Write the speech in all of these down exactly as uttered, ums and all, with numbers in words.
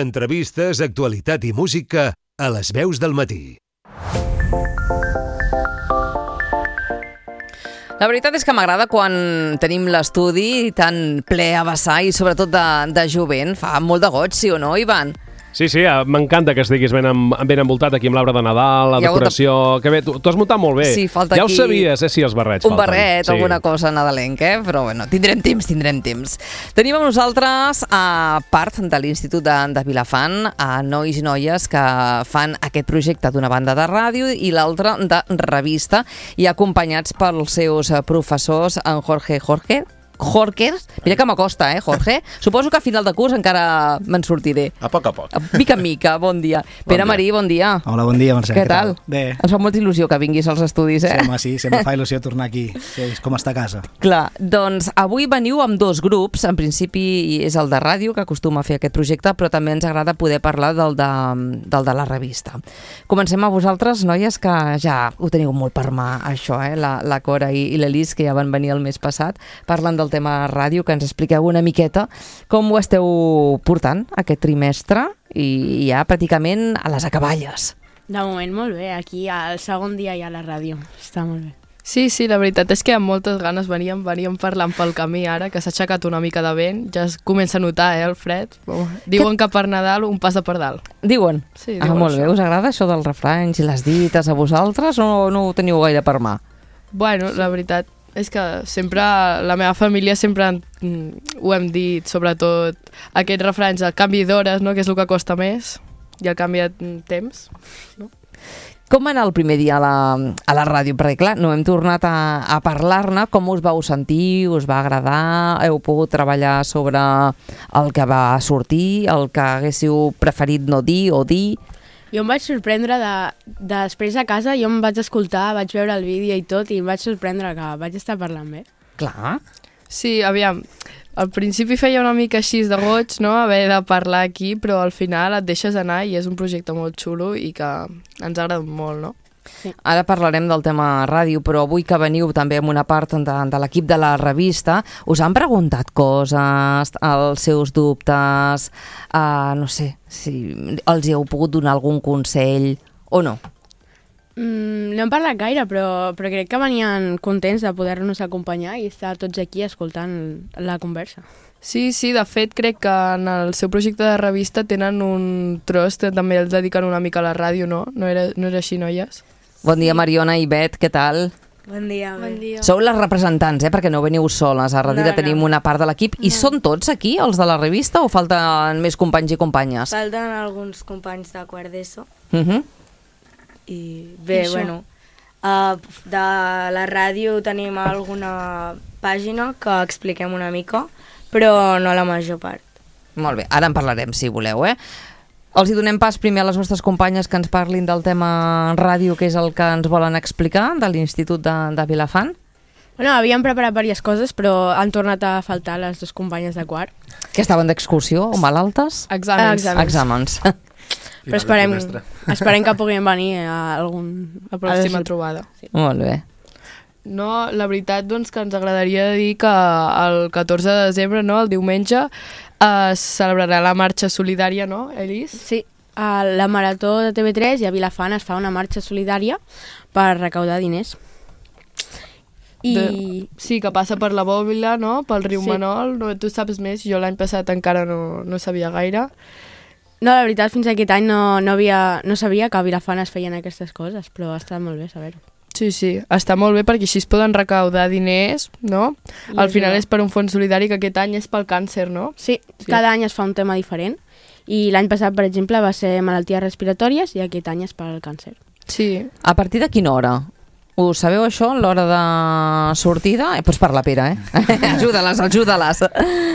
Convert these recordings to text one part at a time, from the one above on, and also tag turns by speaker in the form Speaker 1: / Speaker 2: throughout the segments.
Speaker 1: Entrevistes, actualitat i música a les veus del matí.
Speaker 2: La veritat és que m'agrada quan tenim l'estudi tan ple a vessar i sobretot de, de jovent. Fa molt de goig, sí o no, Ivan?
Speaker 3: Sí, sí, m'encanta que estiguis ben, amb, ben envoltat aquí amb l'arbre de Nadal, la decoració... De... Que bé, tu, tu has muntat molt bé.
Speaker 2: Sí, falta
Speaker 3: ja
Speaker 2: aquí...
Speaker 3: ho sabies, eh, si els barrets
Speaker 2: Un
Speaker 3: falten.
Speaker 2: barret,
Speaker 3: sí.
Speaker 2: Alguna cosa nadalenca, eh? Però bueno, tindrem temps, tindrem temps. Tenim amb nosaltres, a part de l'Institut de, de Vilafant, a nois i noies que fan aquest projecte d'una banda de ràdio i l'altra de revista, i acompanyats pels seus professors, en Jorge Jorge, Jorge, mira que m'acosta, eh, Jorge? Suposo que a final de curs encara me'n sortiré.
Speaker 4: A poc a poc.
Speaker 2: Mica en mica, bon dia.
Speaker 4: Bon
Speaker 2: Pere
Speaker 4: dia.
Speaker 2: Marí, bon dia.
Speaker 5: Hola, bon dia, Mercè.
Speaker 2: Què tal?
Speaker 5: Bé.
Speaker 2: Ens fa molta il·lusió que vinguis als estudis, eh?
Speaker 5: Sí, home, sí, sempre fa il·lusió tornar aquí. Sí, és com estar a casa.
Speaker 2: Clar, doncs avui veniu amb dos grups. En principi és el de ràdio, que acostuma a fer aquest projecte, però també ens agrada poder parlar del de, del de la revista. Comencem a vosaltres, noies, que ja ho teniu molt per mà, això, eh? La, la Cora i, i l'Elis, que ja van venir el mes passat, parlen del tema ràdio, que ens expliqueu una miqueta com ho esteu portant aquest trimestre i ja pràcticament a les acaballes.
Speaker 6: De moment molt bé, aquí al segon dia ja a la ràdio, està molt bé.
Speaker 7: Sí, sí, la veritat és que amb moltes ganes veníem, veníem parlant pel camí ara, que s'ha aixecat una mica de vent, ja es comença a notar, eh, el fred. Diuen que per Nadal un passa per dalt.
Speaker 2: Diuen?
Speaker 7: Sí,
Speaker 2: ah,
Speaker 7: diuen
Speaker 2: molt
Speaker 7: això.
Speaker 2: bé, us agrada això dels refranys i les dites a vosaltres o no ho teniu gaire per mà?
Speaker 7: Bueno, la veritat és que sempre, la meva família sempre mm, ho hem dit, sobretot aquests refranys, el canvi d'hores, no?, que és el que costa més, i el canvi de temps, no?
Speaker 2: Com va anar el primer dia a la, a la ràdio? Perquè, clar, no hem tornat a, a parlar-ne. Com us vau sentir? Us va agradar? Heu pogut treballar sobre el que va sortir? El que haguéssiu preferit no dir o dir?
Speaker 6: Jo em vaig sorprendre de, de després a casa, jo em vaig escoltar, vaig veure el vídeo i tot, i em vaig sorprendre que vaig estar parlant bé.
Speaker 2: Clar.
Speaker 7: Sí, aviam, al principi feia una mica així de goig, no?, haver de parlar aquí, però al final et deixes anar i és un projecte molt xulo i que ens ha agradat molt, no?
Speaker 2: Sí. Ara parlarem del tema ràdio, però avui que veniu també amb una part de, de l'equip de la revista, us han preguntat coses, els seus dubtes, uh, no sé, si els hi heu pogut donar algun consell o no?
Speaker 6: Mm, no hem parlat gaire, però, però crec que venien contents de poder-nos acompanyar i estar tots aquí escoltant la conversa.
Speaker 7: Sí, sí, de fet crec que en el seu projecte de revista tenen un tros que també els dediquen una mica a la ràdio, no? No era, no era així, noies?
Speaker 2: Bon dia, Mariona i Bet, què tal?
Speaker 8: Bon dia.
Speaker 6: Bon dia.
Speaker 2: Sou les representants, eh? Perquè no veniu soles. A darrere no, no. tenim una part de l'equip. I no. Són tots aquí, els de la revista, o falten més companys i companyes?
Speaker 8: Falten alguns companys de quart d'ESO.
Speaker 2: Uh -huh.
Speaker 8: I bé, I bueno, uh, de la ràdio tenim alguna pàgina que expliquem una mica, però no la major part.
Speaker 2: Molt bé, ara en parlarem, si voleu, eh? Els hi donem pas primer a les vostres companyes que ens parlin del tema ràdio, que és el que ens volen explicar, de l'Institut de, de Vilafant.
Speaker 6: Bueno, havíem preparat diverses coses, però han tornat a faltar les dues companyes de quart.
Speaker 2: Que estaven d'excursió o malaltes?
Speaker 7: Exàmens.
Speaker 6: Exàmens.
Speaker 2: Exàmens.
Speaker 6: Però esperem, esperem que puguin venir a algun...
Speaker 7: La pròxima trobada.
Speaker 6: Sí.
Speaker 2: Molt bé.
Speaker 7: No, la veritat, doncs, que ens agradaria dir que el catorze de desembre, no, el diumenge, es celebrarà la marxa solidària, no, Elis?
Speaker 6: Sí, a la Marató de T V tres i a Vilafant es fa una marxa solidària per recaudar diners. I...
Speaker 7: De, sí, que passa per la Bòbila, no?, pel riu
Speaker 6: Sí.
Speaker 7: Manol. No, tu saps més, jo l'any passat encara no, no sabia gaire.
Speaker 6: No, la veritat, fins aquest any no, no, havia, no sabia que a Vilafant es feien aquestes coses, però ha estat molt bé saber-ho.
Speaker 7: Sí, sí, està molt bé perquè així es poden recaudar diners, no?
Speaker 6: I
Speaker 7: Al
Speaker 6: és
Speaker 7: final
Speaker 6: bo.
Speaker 7: és per un fons solidari que aquest any és pel càncer, no?
Speaker 6: Sí,
Speaker 7: Sí.
Speaker 6: cada any es fa un tema diferent i l'any passat, per exemple, va ser malalties respiratòries i aquest any és pel càncer.
Speaker 7: Sí.
Speaker 2: A partir de quina hora? Ho sabeu, això, l'hora de sortida? Eh, pots parlar, Pere, eh? ajuda-les, ajuda-les.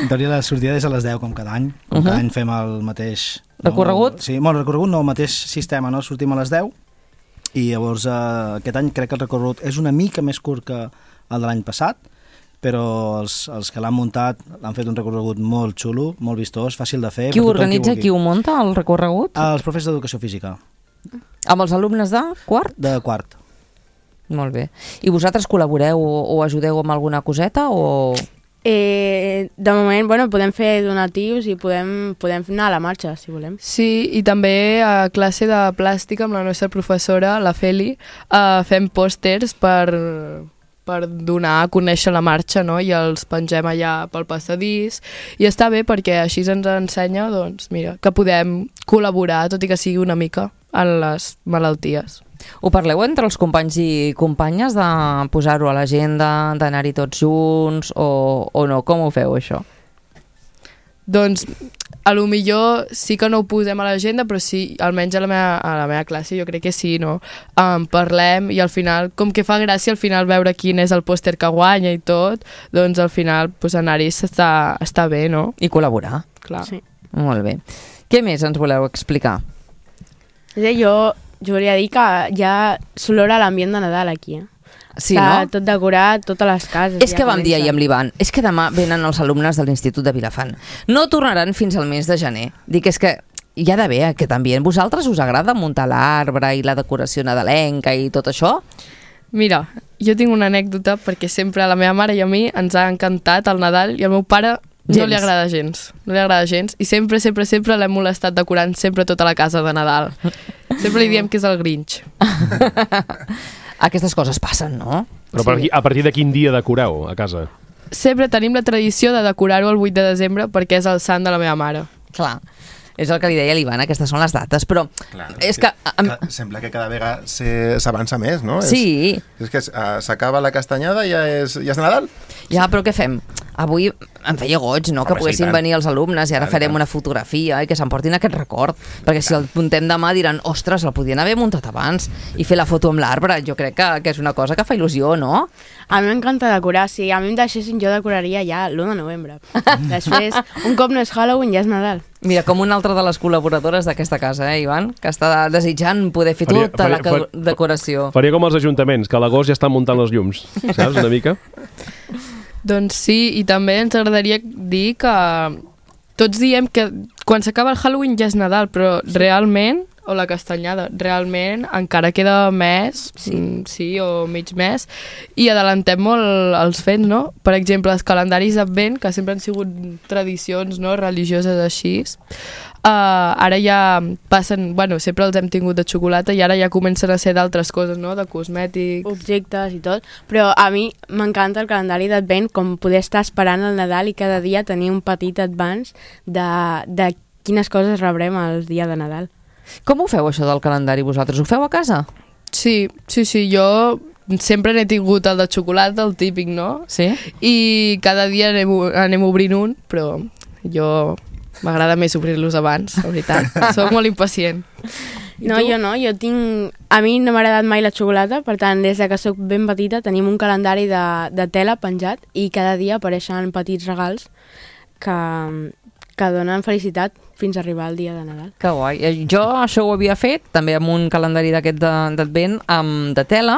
Speaker 5: En teoria la sortida és a les deu, com cada any. Com
Speaker 2: Uh-huh.
Speaker 5: cada any fem el mateix... no,
Speaker 2: Recorregut?
Speaker 5: Sí, bueno, el recorregut no, el mateix sistema, no? Sortim a les deu i llavors eh, aquest any crec que el recorregut és una mica més curt que el de l'any passat, però els, els que l'han muntat han fet un recorregut molt xulo, molt vistós, fàcil de fer.
Speaker 2: Qui ho
Speaker 5: per tothom
Speaker 2: organitza,
Speaker 5: vulgui.
Speaker 2: qui ho munta, el recorregut?
Speaker 5: Els professors d'educació física,
Speaker 2: Amb els alumnes de quart?
Speaker 5: de quart.
Speaker 2: Molt bé. I vosaltres col·laboreu o, o ajudeu amb alguna coseta o...?
Speaker 6: Eh, de moment, bueno, podem fer donatius i podem, podem anar a la marxa, si volem.
Speaker 7: Sí, i també a classe de plàstica amb la nostra professora, la Feli, eh, fem pòsters per, per donar a conèixer la marxa, no? I els pengem allà pel passadís. I està bé perquè així ens ensenya, doncs, mira, que podem col·laborar, tot i que sigui una mica, en les malalties.
Speaker 2: Ho parleu entre els companys i companyes de posar-ho a l'agenda, d'anar-hi tots junts o, o no? Com ho feu, això?
Speaker 7: Doncs, a lo millor sí que no ho posem a l'agenda, però sí, almenys a la meva, a la meva classe jo crec que sí, no? Um, parlem i al final, com que fa gràcia al final veure quin és el pòster que guanya i tot, doncs al final pues, anar-hi està, està bé, no?
Speaker 2: I col·laborar.
Speaker 7: Clar.
Speaker 6: Sí.
Speaker 2: Molt bé. Què més ens voleu explicar?
Speaker 6: Jo, jo volia dir que ja s'olora l'ambient de Nadal aquí, eh?
Speaker 2: Sí,
Speaker 6: Està
Speaker 2: no?
Speaker 6: tot decorat, totes les cases.
Speaker 2: És que vam dir ahir amb l'Ivan, és que demà venen els alumnes de l'Institut de Vilafant. No tornaran fins al mes de gener. Dic, és que hi ha d'haver aquest ambient. Vosaltres us agrada muntar l'arbre i la decoració nadalenca i tot això?
Speaker 7: Mira, jo tinc una anècdota perquè sempre a la meva mare i a mi ens ha encantat el Nadal i al meu pare gens. no li agrada gens. No li agrada gens i sempre, sempre, sempre l'hem molestat decorant sempre tota la casa de Nadal. Sempre li diem que és el Grinch.
Speaker 2: Aquestes coses passen, no?
Speaker 3: Però per aquí, a partir de quin dia decoreu a casa?
Speaker 7: Sempre tenim la tradició de decorar-ho el vuit de desembre perquè és el sant de la meva mare.
Speaker 2: Clar, és el que li deia a l'Ivan, aquestes són les dates, però
Speaker 4: Clar,
Speaker 2: és que...
Speaker 4: que, que sembla que cada vegada se- s'avança més, no?
Speaker 2: Sí.
Speaker 4: És, és que uh, s'acaba la castanyada i ja és, ja és Nadal.
Speaker 2: Ja, però què fem? Avui em feia goig, no?, que
Speaker 4: Home, sí,
Speaker 2: poguessin
Speaker 4: tant.
Speaker 2: venir els alumnes i ara
Speaker 4: Tant,
Speaker 2: farem
Speaker 4: tant.
Speaker 2: una fotografia i que s'emportin aquest record, perquè si el muntem demà diran, ostres, el podien haver muntat abans i fer la foto amb l'arbre. Jo crec que, que és una cosa que fa il·lusió, no?
Speaker 6: A mi m'encanta decorar. Si a mi em deixessin, jo decoraria ja l'u de novembre. Després, un cop no és Halloween, ja és Nadal.
Speaker 2: Mira, com una altra de les col·laboradores d'aquesta casa, eh, Ivan? Que està desitjant poder fer
Speaker 3: Faria-
Speaker 2: tota
Speaker 3: faria-
Speaker 2: la ca-
Speaker 3: fa-
Speaker 2: decoració.
Speaker 3: Faria com els ajuntaments, que a l'agost ja estan muntant els llums, saps, una mica?
Speaker 7: Doncs sí, i també ens agradaria dir que tots diem que quan s'acaba el Halloween ja és Nadal, però realment, o la castanyada, realment encara queda mes, sí, sí o mig mes, i adelantem molt els fets, no? Per exemple, els calendaris d'Advent, que sempre han sigut tradicions, no?, religioses així, uh, ara ja passen, bueno, sempre els hem tingut de xocolata i ara ja comencen a ser d'altres coses, no?, de cosmètics.
Speaker 6: Objectes i tot, però a mi m'encanta el calendari d'Advent, com poder estar esperant el Nadal i cada dia tenir un petit advance de, de quines coses rebrem el dia de Nadal.
Speaker 2: Com ho feu, això del calendari, vosaltres? Ho feu a casa?
Speaker 7: Sí, sí, sí, jo sempre n'he tingut el de xocolata, el típic, no?
Speaker 2: Sí?
Speaker 7: I cada dia anem, anem obrint un, però jo m'agrada més obrir-los abans, la veritat. Soc molt impacient. I
Speaker 6: No,
Speaker 7: tu?
Speaker 6: jo no, jo tinc... A mi no m'ha agradat mai la xocolata, per tant, des de que sóc ben petita tenim un calendari de, de tela penjat i cada dia apareixen petits regals que, que donen felicitat fins a arribar al dia de Nadal.
Speaker 2: Que guai. Eh, Jo això ho havia fet, també amb un calendari d'aquest de- d'Advent, amb de tela,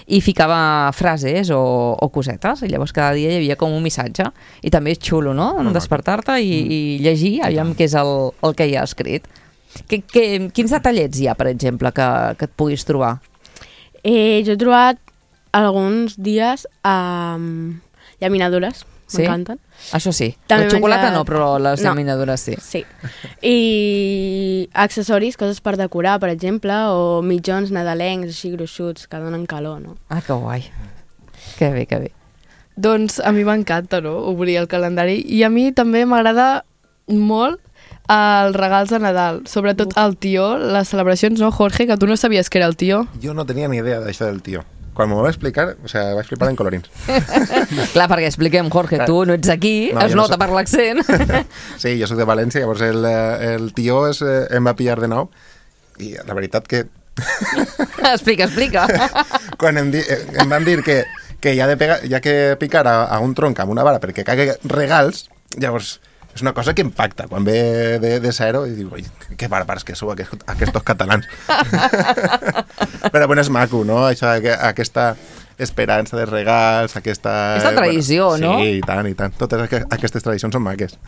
Speaker 2: i ficava frases o, o cosetes, i llavors cada dia hi havia com un missatge. I també és xulo, no?, despertar-te i, i llegir, aviam què és el, el que hi ha escrit. Que, que, quins detallets hi ha, per exemple, que, que et puguis trobar?
Speaker 6: Eh, jo he trobat alguns dies um, llaminadures,
Speaker 2: Sí?
Speaker 6: m'encanten.
Speaker 2: Això sí.
Speaker 6: També
Speaker 2: La xocolata
Speaker 6: menjar-
Speaker 2: no, però les
Speaker 6: No.
Speaker 2: llaminadures sí.
Speaker 6: Sí. I accessoris, coses per decorar, per exemple, o mitjons nadalencs, així gruixuts, que donen calor, no?
Speaker 2: Ah, que guai. Que bé, que bé.
Speaker 7: Doncs a mi m'encanta, no?, obrir el calendari. I a mi també m'agrada molt els regals de Nadal, sobretot el tió, les celebracions, no, Jorge, que tu no sabies que era el tió.
Speaker 4: Jo no tenia ni idea d'això del tio. Quan m'ho va explicar, o sea, vaig flipar en colorins.
Speaker 2: Clar, perquè expliquem, Jorge,
Speaker 4: Clar.
Speaker 2: tu no ets d'aquí,
Speaker 4: No,
Speaker 2: es
Speaker 4: jo no
Speaker 2: nota
Speaker 4: soc.
Speaker 2: per l'accent.
Speaker 4: Sí, jo soc de València, llavors el, eh, el tio es, eh, em va pillar de nou i la veritat que
Speaker 2: Explica, explica.
Speaker 4: quan em, di, eh, em van dir que, que hi ha, de pegar, hi ha que picar a, a un tronc amb una vara perquè cagui regals, llavors és una cosa que impacta. Quan ve de, de zero i diu, oi, que bàrbars que sou aquest, aquests catalans. Però bueno, és maco, no? Això, que, aquesta esperança de regals, aquesta...
Speaker 2: Aquesta tradició,
Speaker 4: bueno,
Speaker 2: no?
Speaker 4: Sí, i tant, i tant. Totes aqu- aquestes tradicions són maques.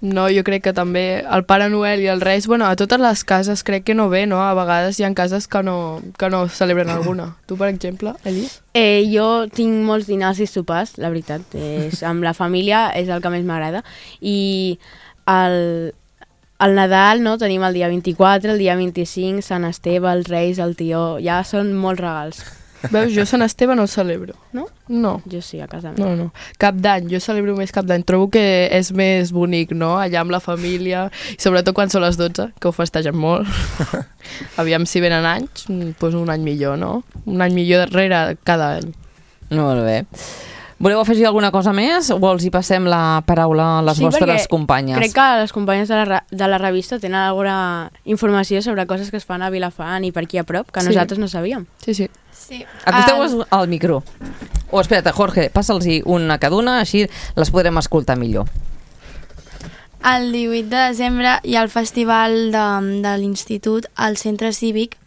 Speaker 7: No, jo crec que també el Pare Noel i els Reis, bueno, a totes les cases crec que no ve, no? A vegades hi ha cases que no, que no celebren alguna. Tu, per exemple, Eli?
Speaker 6: Eh, jo tinc molts dinars i sopars, la veritat. És, amb la família és el que més m'agrada. I el, el Nadal, no? Tenim el dia vint-i-quatre, el dia vint-i-cinc, Sant Esteve, els Reis, el Tió... Ja són molts regals.
Speaker 7: Veus, jo Sant Esteve no el celebro.
Speaker 6: No?
Speaker 7: No.
Speaker 6: Jo sí, a casa meva.
Speaker 7: No, no. Cap d'any, jo celebro més cap d'any. Trobo que és més bonic, no? Allà amb la família, i sobretot quan són les dotze, que ho festegen molt. Aviam si venen anys, doncs un any millor, no? Un any millor darrere cada any.
Speaker 2: Molt bé. Voleu afegir alguna cosa més o els hi passem la paraula a les
Speaker 6: Sí,
Speaker 2: vostres
Speaker 6: perquè
Speaker 2: companyes?
Speaker 6: crec que les companyes de la, re- de la revista tenen alguna informació sobre coses que es fan a Vilafant i per aquí a prop, que
Speaker 7: Sí.
Speaker 6: nosaltres no sabíem.
Speaker 7: Sí, sí.
Speaker 8: Sí.
Speaker 2: Acosteu-vos
Speaker 8: El-
Speaker 2: al micro. O espera't, Jorge, passa'ls-hi una cada una, així les podrem escoltar millor.
Speaker 8: El divuit de desembre hi ha el festival de, de l'institut al centre cívic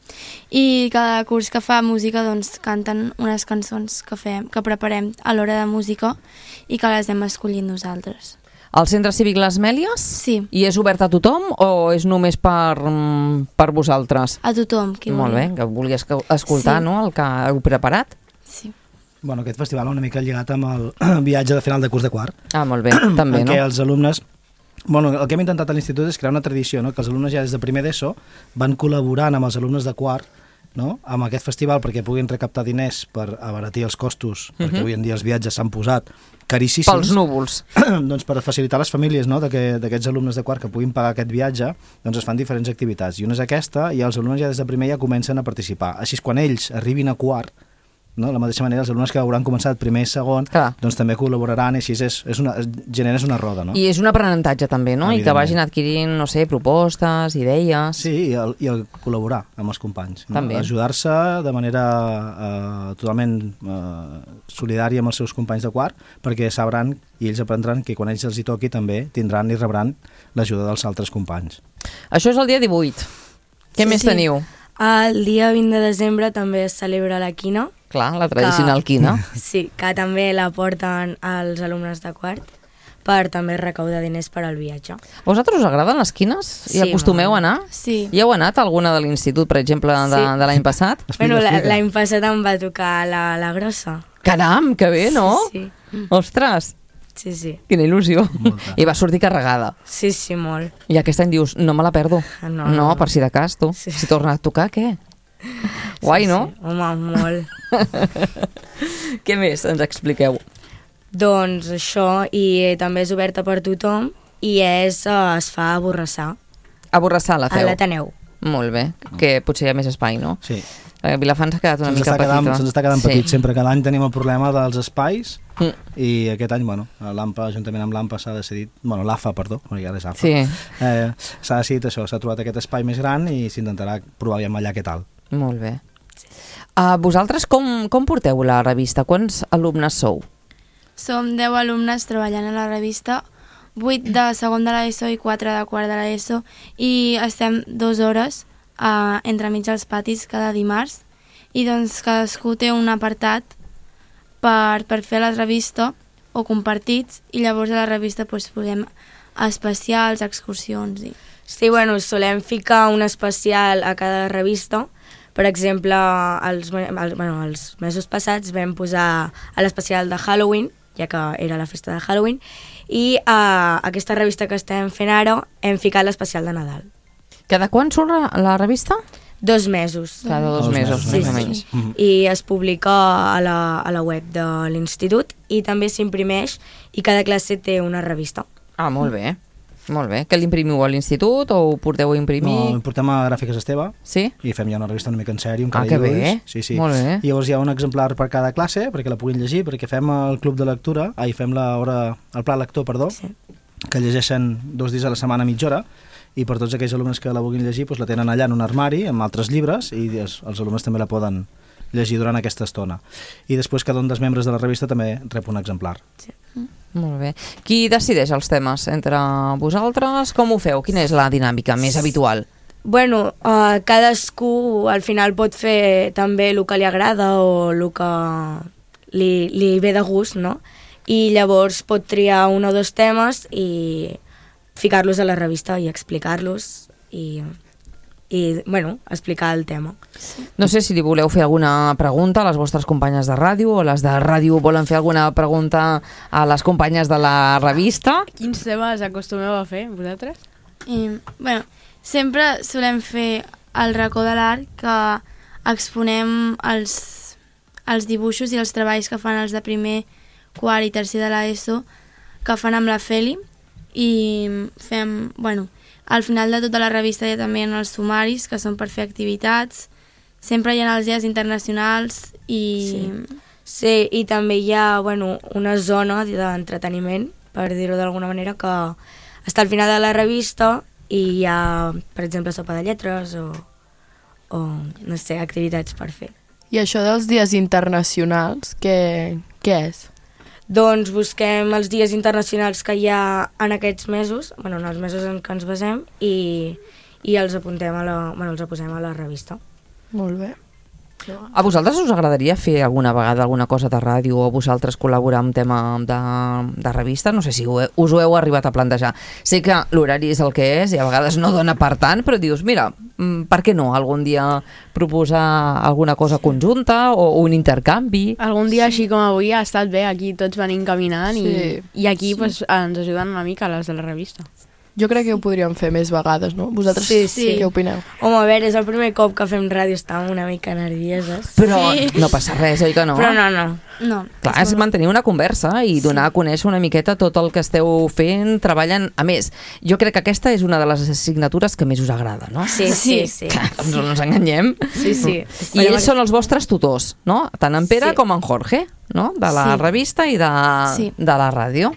Speaker 8: i cada curs que fa música doncs, canten unes cançons que, fem, que preparem a l'hora de música i que les hem escollit nosaltres.
Speaker 2: Al Centre Cívic Les Mèlies?
Speaker 8: Sí.
Speaker 2: I és obert a tothom o és només per, mm, per vosaltres?
Speaker 8: A tothom qui
Speaker 2: Molt bé,
Speaker 8: vulgui.
Speaker 2: que vulgui esca- escoltar,
Speaker 8: Sí.
Speaker 2: no?, el que heu preparat.
Speaker 8: Sí.
Speaker 5: Bueno, aquest festival una mica lligat amb el viatge de final de curs de quart,
Speaker 2: Ah, molt bé, també,
Speaker 5: en
Speaker 2: no?
Speaker 5: què els alumnes... Bueno, el que hem intentat a l'institut és crear una tradició, no? Que els alumnes ja des de primer d'ESO van col·laborant amb els alumnes de quart, no? Amb aquest festival perquè puguin recaptar diners per abaratir els costos, uh -huh. perquè avui en dia els viatges s'han posat caríssims.
Speaker 2: Pels núvols.
Speaker 5: Doncs per facilitar les famílies, no? d'aquests alumnes de quart que puguin pagar aquest viatge, doncs es fan diferents activitats. I una és aquesta, i els alumnes ja des de primer ja comencen a participar. Així és quan ells arribin a quart, no? De la mateixa manera, els alumnes que hauran començat primer i segon,
Speaker 2: Clar.
Speaker 5: doncs també col·laboraran, i així és, és una, generes una roda, no?
Speaker 2: I és un aprenentatge també, no? I que
Speaker 5: Evidentment.
Speaker 2: vagin adquirint, no sé, propostes, idees...
Speaker 5: Sí, i el, i el col·laborar amb els companys. No?
Speaker 2: També.
Speaker 5: Ajudar-se de manera eh, totalment eh, solidària amb els seus companys de quart, perquè sabran i ells aprendran que quan ells els hi toqui també tindran i rebran l'ajuda dels altres companys.
Speaker 2: Això és el dia divuit. Què
Speaker 8: Sí,
Speaker 2: més
Speaker 8: sí.
Speaker 2: teniu?
Speaker 8: El dia vint de desembre també es celebra la quina.
Speaker 2: Clar, la tradicional quina.
Speaker 8: Sí, que també la porten els alumnes de quart per també recaudar diners per al viatge.
Speaker 2: A vosaltres us agraden les quines? I
Speaker 8: Sí,
Speaker 2: acostumeu a
Speaker 8: molt.
Speaker 2: anar?
Speaker 8: Sí.
Speaker 2: Hi heu anat a alguna de l'institut, per exemple, de,
Speaker 8: Sí.
Speaker 2: de l'any passat?
Speaker 5: Explica,
Speaker 8: Bueno, la-
Speaker 5: explica.
Speaker 8: l'any passat em va tocar la, la grossa.
Speaker 2: Caram, que bé, no?
Speaker 8: Sí,
Speaker 2: Ostres,
Speaker 8: sí, sí.
Speaker 2: quina il·lusió.
Speaker 5: Molta.
Speaker 2: I va sortir carregada.
Speaker 8: Sí, sí, molt.
Speaker 2: I aquest any dius, no me la perdo.
Speaker 8: No, no,
Speaker 2: no
Speaker 8: no.
Speaker 2: per si de cas, tu.
Speaker 8: Sí.
Speaker 2: Si torna a tocar, què? Guai,
Speaker 8: sí,
Speaker 2: no?
Speaker 8: Sí. Home, molt.
Speaker 2: Què més ens expliqueu?
Speaker 8: Doncs això, i també és oberta per tothom i és, eh, es fa a Borrassà,
Speaker 2: A Borrassà la
Speaker 8: a
Speaker 2: feu?
Speaker 8: l'Ateneu.
Speaker 2: Molt bé, que potser hi ha més espai, no?
Speaker 5: Sí.
Speaker 2: Eh, Vilafant s'ha quedat una
Speaker 5: Se'ns
Speaker 2: mica
Speaker 5: està, quedant,
Speaker 2: petita.
Speaker 5: se'ns està quedant
Speaker 2: Sí.
Speaker 5: petit. Sempre cada any tenim el problema dels espais
Speaker 2: Mm.
Speaker 5: i aquest any, bueno, l'AMPA, juntament amb l'AMPA s'ha decidit, bueno, l'AFA, perdó, perquè ara és AFA,
Speaker 2: Sí.
Speaker 5: eh, s'ha decidit això, s'ha trobat aquest espai més gran i s'intentarà provar aviam allà què tal.
Speaker 2: Molt bé. Uh, vosaltres com, com porteu la revista? Quants alumnes sou?
Speaker 9: Som deu alumnes treballant a la revista, vuit de segon de l'ESO i quatre de quart de l'ESO, i estem dues hores uh, entremig dels patis cada dimarts, i doncs cadascú té un apartat per, per fer la revista o compartits, i llavors a la revista doncs, podem especials, excursions i...
Speaker 8: Sí, bueno, solem ficar un especial a cada revista. Per exemple, els, els, bueno, els mesos passats vam posar a l'especial de Halloween, ja que era la festa de Halloween, i a aquesta revista que estem fent ara hem ficat l'especial de Nadal.
Speaker 2: Cada quan surt la, la revista?
Speaker 8: Dos mesos.
Speaker 2: Cada dos,
Speaker 5: Dos
Speaker 2: mesos,
Speaker 5: mesos,
Speaker 2: més
Speaker 8: sí,
Speaker 2: o
Speaker 8: sí.
Speaker 2: menys.
Speaker 5: Mhm.
Speaker 8: I es publica a la, a la web de l'institut i també s'imprimeix i cada classe té una revista.
Speaker 2: Ah, molt bé. Molt bé. Que l'imprimiu a l'institut o ho porteu a imprimir?
Speaker 5: No, ho portem a Gràfiques Esteve
Speaker 2: Sí?
Speaker 5: i fem ja una revista una mica en sèrio, amb
Speaker 2: Ah,
Speaker 5: cada
Speaker 2: que
Speaker 5: dibuix.
Speaker 2: bé.
Speaker 5: Sí, sí.
Speaker 2: Molt bé.
Speaker 5: I llavors hi ha un exemplar per cada classe, perquè la puguin llegir, perquè fem el club de lectura, ai, fem la hora, el pla lector, perdó,
Speaker 8: Sí.
Speaker 5: que llegeixen dos dies a la setmana, mitja hora, i per tots aquells alumnes que la vulguin llegir doncs la tenen allà en un armari amb altres llibres i els, els alumnes també la poden llegir durant aquesta estona. I després cada un dels membres de la revista també rep un exemplar.
Speaker 2: Molt bé. Qui decideix els temes? Entre vosaltres? Com ho feu? Quina és la dinàmica més habitual?
Speaker 8: Bueno, uh, cadascú al final pot fer també el que li agrada o el que li, li ve de gust, no? I llavors pot triar un o dos temes i ficar-los a la revista i explicar-los i, i bueno, explicar el tema.
Speaker 2: No sé si li voleu fer alguna pregunta a les vostres companyes de ràdio o les de ràdio volen fer alguna pregunta a les companyes de la revista.
Speaker 6: Quins temes acostumeu a fer, vosaltres?
Speaker 9: I, bueno, sempre solem fer el racó de l'art, que exponem els, els dibuixos i els treballs que fan els de primer, quart i tercer de l'ESO, que fan amb la Feli, i fem, bueno, al final de tota la revista hi ha també els sumaris, que són per fer activitats, sempre hi ha els dies internacionals i...
Speaker 8: Sí, sí, i també hi ha, bueno, una zona d'entreteniment, per dir-ho d'alguna manera, que està al final de la revista i hi ha, per exemple, sopa de lletres o, o no sé, activitats per fer.
Speaker 7: I això dels dies internacionals, què, què és?
Speaker 8: Doncs busquem els dies internacionals que hi ha en aquests mesos, bueno, en els mesos en què ens basem, i, i els apuntem a la, bueno, els posem a la revista.
Speaker 7: Molt bé.
Speaker 2: A vosaltres us agradaria fer alguna vegada alguna cosa de ràdio o vosaltres col·laborar amb tema de, de revista? No sé si ho he, us ho heu arribat a plantejar. Sé que l'horari és el que és i a vegades no dona per tant, però dius, mira, per què no algun dia proposar alguna cosa conjunta o un intercanvi?
Speaker 6: Algun dia sí. Així com avui ha estat bé, aquí tots venim caminant sí. i, i aquí sí. pues, ens ajuden una mica les de la revista.
Speaker 7: Jo crec que ho podríem fer més vegades, no? Vosaltres
Speaker 8: sí, sí.
Speaker 7: què opineu?
Speaker 8: Home, a veure, és el primer cop que fem ràdio, estàvem una mica nervioses.
Speaker 2: Però
Speaker 8: sí.
Speaker 2: no passa res, oi que no?
Speaker 8: Però no, no.
Speaker 9: no.
Speaker 2: Clar, és mantenir una conversa i donar sí. a conèixer una miqueta tot el que esteu fent, treballant. A més, jo crec que aquesta és una de les assignatures que més us agrada, no?
Speaker 8: Sí, sí, sí.
Speaker 2: Clar, doncs no ens enganyem.
Speaker 8: Sí, sí.
Speaker 2: I ells són els vostres tutors, no? Tant en Pere
Speaker 8: sí.
Speaker 2: com en Jorge, no? De la
Speaker 8: sí.
Speaker 2: revista i de,
Speaker 9: sí.
Speaker 2: de la ràdio.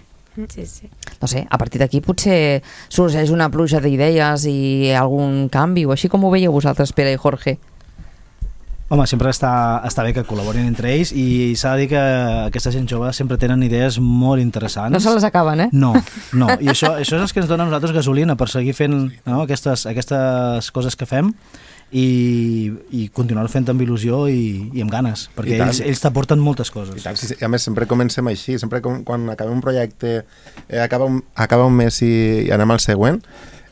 Speaker 8: Sí, sí.
Speaker 2: No sé, a partir d'aquí potser sorgeix una pluja d'idees i algun canvi, o així com ho veieu vosaltres, Pere i Jorge?
Speaker 5: Home, sempre està, està bé que col·laborin entre ells i s'ha de dir que aquesta gent jove sempre tenen idees molt interessants.
Speaker 2: No se les acaben, eh?
Speaker 5: No, no. I això, això és el que ens dona a nosaltres gasolina per seguir fent no, aquestes, aquestes coses que fem i, i continuar fent amb il·lusió i, i amb ganes, perquè ells, ells t'aporten moltes coses.
Speaker 4: I tant, sí, a més sempre comencem així, sempre com, quan acabem un projecte, eh, acaba, un, acaba un mes i, i anem al següent,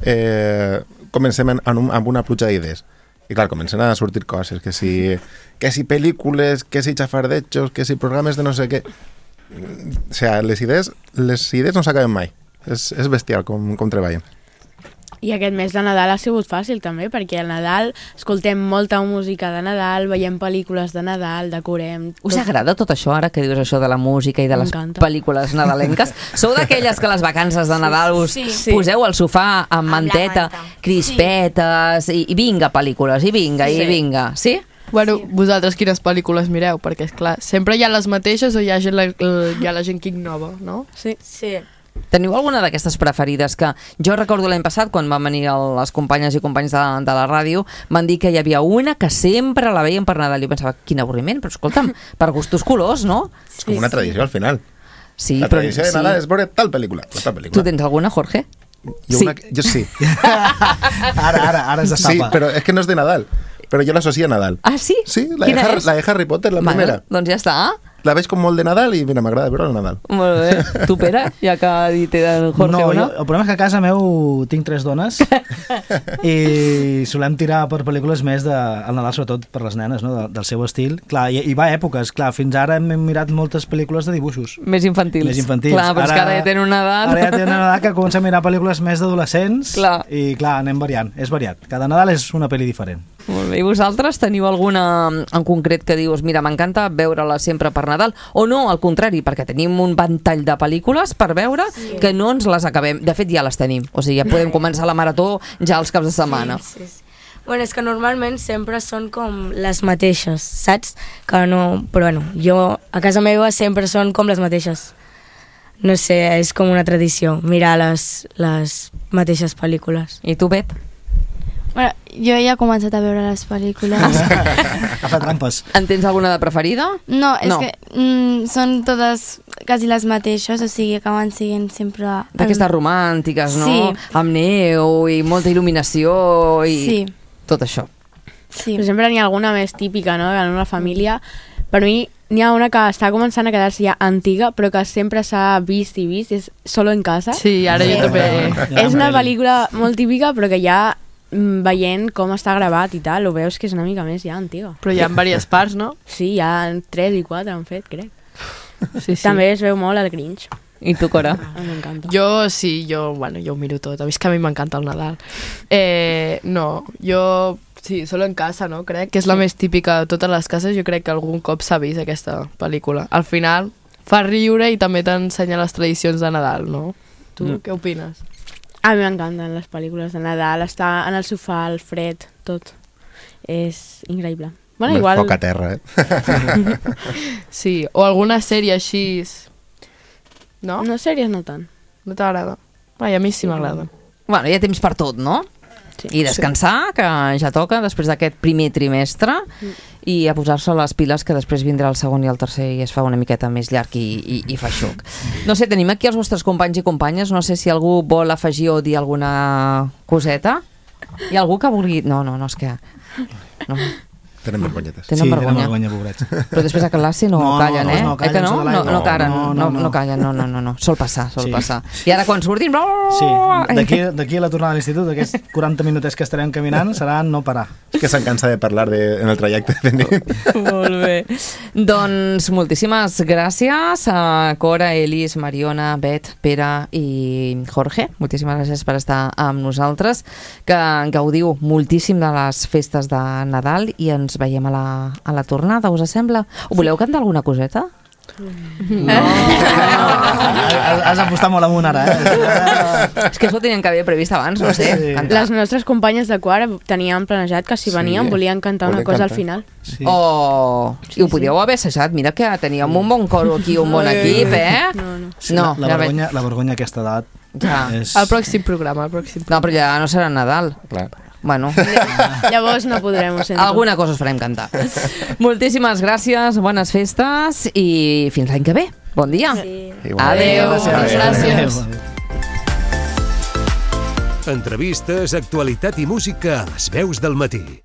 Speaker 4: eh, comencem en, en un, amb una pluja d'idees. I clar, comencen a sortir coses, que si, que si pel·lícules, que si xafardetxos, que si programes de no sé què... O sigui, les idees, les idees no s'acaben mai. És, és bestial com, com treballen.
Speaker 6: I aquest mes de Nadal ha sigut fàcil també, perquè al Nadal escoltem molta música de Nadal, veiem pel·lícules de Nadal, decorem...
Speaker 2: Us tot... agrada tot això, ara que dius això de la música i de les pel·lícules nadalenques? Sou d'aquelles que les vacances de Nadal us sí, sí. poseu al sofà amb, amb manteta, manta. crispetes, sí. i, i vinga pel·lícules, i vinga, sí. i vinga, sí?
Speaker 7: Bueno, sí. vosaltres quines pel·lícules mireu? Perquè, és clar, sempre hi ha les mateixes o hi ha, gent, hi ha la gent que innova, no?
Speaker 8: Sí. Sí.
Speaker 2: Teniu alguna d'aquestes preferides que jo recordo l'any passat quan van venir el, les companyes i companys de, de la ràdio van dir que hi havia una que sempre la veien per Nadal i jo pensava, quin avorriment, però escolta'm, per gustos colors, no?
Speaker 4: És com una tradició al final.
Speaker 2: Sí,
Speaker 4: la
Speaker 2: però,
Speaker 4: tradició de Nadal sí. és veure tal pel·lícula, tal pel·lícula.
Speaker 2: Tu tens alguna, Jorge?
Speaker 4: Jo,
Speaker 2: sí.
Speaker 4: una, jo sí.
Speaker 5: ara, ara, ara es destapa.
Speaker 4: Sí, però és que no és de Nadal, però jo l'associo a Nadal.
Speaker 2: Ah, sí?
Speaker 4: Sí, la de, Harry, la de Harry Potter, la
Speaker 2: bueno,
Speaker 4: primera.
Speaker 2: Doncs ja està.
Speaker 4: La veig com molt de Nadal i mira, m'agrada veure el Nadal.
Speaker 2: Molt bé. Tu, Pere, ja que ha dit el Jorge
Speaker 5: no,
Speaker 2: una?
Speaker 5: Jo, el problema és que a casa meu tinc tres dones i solem tirar per pel·lícules més de, al Nadal, sobretot per les nenes, no? de, del seu estil. Clar, i, i va a èpoques. Clar, fins ara hem mirat moltes pel·lícules de dibuixos.
Speaker 2: Més infantils.
Speaker 5: Més infantils.
Speaker 2: Clar, però ara, és que ara ja tenen una edat.
Speaker 5: Ara ja tenen una edat que comença a mirar pel·lícules més d'adolescents i clar, anem variant. És variat. Cada Nadal és una pel·li diferent.
Speaker 2: Molt bé. I vosaltres teniu alguna en concret que dius, mira, m'encanta veure-la sempre per Nadal, o no, al contrari, perquè tenim un ventall de pel·lícules per veure sí. que no ens les acabem. De fet, ja les tenim. O sigui, ja podem començar la marató ja els caps de setmana.
Speaker 8: Sí, sí, sí. Bueno, és que normalment sempre són com les mateixes, saps? Que no... Però bueno, jo a casa meva sempre són com les mateixes. No sé, és com una tradició, mirar les, les mateixes pel·lícules.
Speaker 2: I tu, Bet?
Speaker 9: Bueno, jo ja he començat a veure les pel·lícules.
Speaker 5: Ha fet trampes.
Speaker 2: En tens alguna de preferida?
Speaker 9: No, és
Speaker 2: no.
Speaker 9: que mm, són totes quasi les mateixes, o sigui, acaben siguent sempre...
Speaker 2: D'aquestes el... romàntiques, no?
Speaker 9: Sí.
Speaker 2: Amb neu i molta il·luminació i
Speaker 9: sí.
Speaker 2: tot això.
Speaker 9: Sí.
Speaker 6: Però sempre n'hi ha alguna més típica, no? En una família... Per mi, n'hi ha una que està començant a quedar-se ja antiga, però que sempre s'ha vist i vist, és Solo en casa.
Speaker 7: Sí, ara jo també...
Speaker 6: És una pel·lícula molt típica, però que ja mm, veient com està gravat i tal, ho veus que és una mica més ja antiga.
Speaker 7: Però hi ha diverses parts, no?
Speaker 6: Sí, hi ha tres i quatre han fet, crec.
Speaker 7: Sí, sí.
Speaker 6: També es veu molt el Grinch.
Speaker 2: I tu, Cora?
Speaker 6: Ah, m'encanta.
Speaker 7: Jo sí, jo, bueno, jo ho miro tot. A mi és que a mi m'encanta el Nadal. Eh, no, jo... Sí, Solo en casa, no? Crec que és la més típica de totes les cases. Jo crec que algun cop s'ha vist aquesta pel·lícula. Al final fa riure i també t'ensenya les tradicions de Nadal, no? Tu mm. què opines?
Speaker 6: A mi m'encanten les pel·lícules de Nadal. Estar en el sofà, el fred, tot. És increïble. Bueno,
Speaker 4: Amb
Speaker 6: igual...
Speaker 4: foc a terra, eh?
Speaker 7: Sí, o alguna sèrie així... No?
Speaker 6: No, sèries no tant.
Speaker 7: No t'agrada? Ai, a mi sí m'agrada.
Speaker 2: Bueno, hi ha temps per tot, no?
Speaker 6: Sí.
Speaker 2: I descansar, que ja toca després d'aquest primer trimestre, mm. i a posar-se les piles, que després vindrà el segon i el tercer i es fa una miqueta més llarg i, i, i feixuc. No sé, tenim aquí els vostres companys i companyes, no sé si algú vol afegir o dir alguna coseta. Hi ha algú que vulgui... No, no, no, és que... No.
Speaker 4: Tenen vergonyetes.
Speaker 2: Tenen
Speaker 5: sí,
Speaker 2: vergonya.
Speaker 5: tenen vergonya, pobrets.
Speaker 2: Però després a classe no,
Speaker 5: No, no,
Speaker 2: callen,
Speaker 5: no,
Speaker 2: eh?
Speaker 5: no callen,
Speaker 2: eh que no?
Speaker 5: sota
Speaker 2: No,
Speaker 5: l'aigua.
Speaker 2: no, caren,
Speaker 5: No,
Speaker 2: no,
Speaker 5: no,
Speaker 2: no,
Speaker 5: no.
Speaker 2: callen, no, no, no, no. Sol passar, sol
Speaker 5: Sí.
Speaker 2: passar. I ara quan surtin...
Speaker 5: Sí, d'aquí d'aquí a la tornada a l'institut, aquests quaranta minutets que estarem caminant seran no parar.
Speaker 4: És que se'n cansa de parlar de, en el trajecte.
Speaker 2: Molt bé. Doncs moltíssimes gràcies a Cora, Elis, Mariona, Bet, Pere i Jorge. Moltíssimes gràcies per estar amb nosaltres, que gaudiu moltíssim de les festes de Nadal i ens veiem a la, a la tornada, us sembla? Ho voleu cantar alguna coseta?
Speaker 5: No. Has, has apostat molt amunt ara, eh?
Speaker 2: És que això ho tenien que haver previst abans, no sé.
Speaker 5: Sí.
Speaker 2: Cantar.
Speaker 6: Les nostres companyes de quart teníem planejat que si
Speaker 4: Sí,
Speaker 6: venien volien cantar una
Speaker 4: volien
Speaker 6: cosa
Speaker 4: cantar.
Speaker 6: al final.
Speaker 5: Sí.
Speaker 2: Oh, i ho podíeu haver assajat. Mira que teníem un bon coro aquí, un bon equip, eh?
Speaker 6: No, no.
Speaker 5: Sí,
Speaker 2: No,
Speaker 5: la,
Speaker 2: ja
Speaker 5: la, vergonya, la vergonya a aquesta edat
Speaker 2: Ja.
Speaker 5: és...
Speaker 7: El pròxim programa, el pròxim
Speaker 2: No, però ja no serà Nadal.
Speaker 4: Clar.
Speaker 2: Bueno,
Speaker 6: Llavors no podrem, ho sento.
Speaker 2: alguna cosa us farem cantar. Moltíssimes gràcies, bones festes i fins l'any que ve. Bon dia.
Speaker 8: Sí.
Speaker 2: Adéu.
Speaker 7: Gràcies. Gràcies.
Speaker 1: Entrevistes, actualitat i música a les veus del matí.